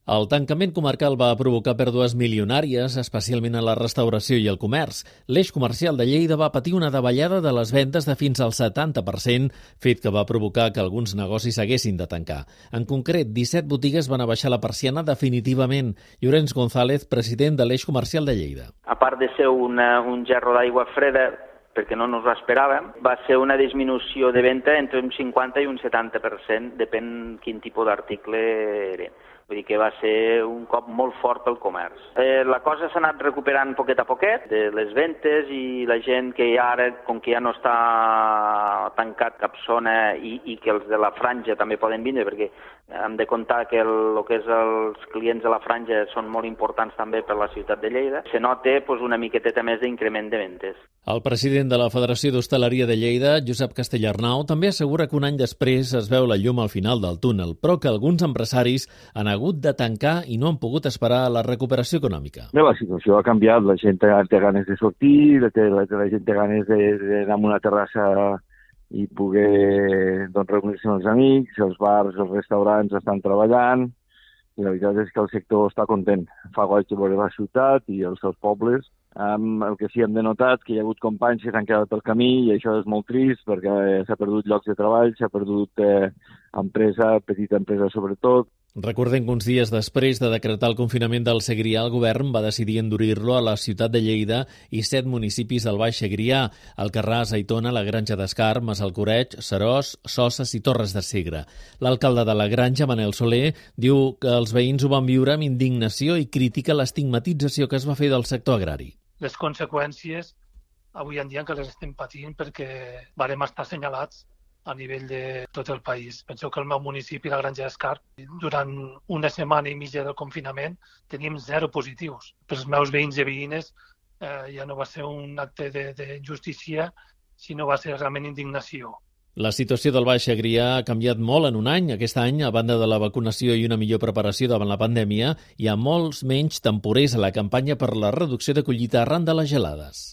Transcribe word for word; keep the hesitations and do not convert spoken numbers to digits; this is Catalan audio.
El tancament comarcal va provocar pèrdues milionàries, especialment a la restauració i el comerç. L'eix comercial de Lleida va patir una davallada de les vendes de fins al setanta per cent, fet que va provocar que alguns negocis haguessin de tancar. En concret, disset botigues van abaixar la persiana definitivament. Llorenç González, president de l'eix comercial de Lleida. A part de ser una, un gerro d'aigua freda, perquè no ens ho esperàvem, va ser una disminució de venda entre un cinquanta i un setanta per cent, depèn quin tipus d'article era. Vull dir que va ser un cop molt fort pel comerç. Eh, la cosa s'ha anat recuperant poquet a poquet, de les ventes, i la gent que ara, com que ja no està tancat cap zona i, i que els de la franja també poden vindre, perquè hem de comptar que el, el que és els clients de la franja són molt importants també per la ciutat de Lleida, se nota pues, una miqueteta més d'increment de ventes. El president de la Federació d'Hostaleria de Lleida, Josep Castellarnau, també assegura que un any després es veu la llum al final del túnel, però que alguns empresaris han hagut de tancar i no han pogut esperar la recuperació econòmica. Bé, la situació ha canviat, la gent té ganes de sortir, la, la, la gent té ganes d'anar a una terrassa i poder doncs, reunir-se amb els amics, els bars, els restaurants estan treballant, i la veritat és que el sector està content. Fa goig de veure la ciutat i els seus pobles. Um, el que sí hem denotat que hi ha hagut companys que s'han quedat pel camí i això és molt trist perquè s'ha perdut llocs de treball, s'ha perdut eh, empresa, petita empresa sobretot. Recordem que uns dies després de decretar el confinament del Segrià, el govern va decidir endurir-lo a la ciutat de Lleida i set municipis del Baix Segrià, Alcarràs, Aitona, la Granja d'Escar, Massalcoreig, Seròs, Soses i Torres de Segre. L'alcalde de la Granja, Manel Soler, diu que els veïns ho van viure amb indignació i critica l'estigmatització que es va fer del sector agrari. Les conseqüències avui en dia que les estem patint perquè varem estar assenyalats a nivell de tot el país. Penseu que el meu municipi, la Granja d'Escar, durant una setmana i mitja del confinament teníem zero positius. Per als meus veïns i veïnes eh, ja no va ser un acte de, de justícia, sinó va ser realment indignació. La situació del Baix Segrià ha canviat molt en un any. Aquest any, a banda de la vacunació i una millor preparació davant la pandèmia, hi ha molts menys temporers a la campanya per la reducció de collita arran de les gelades.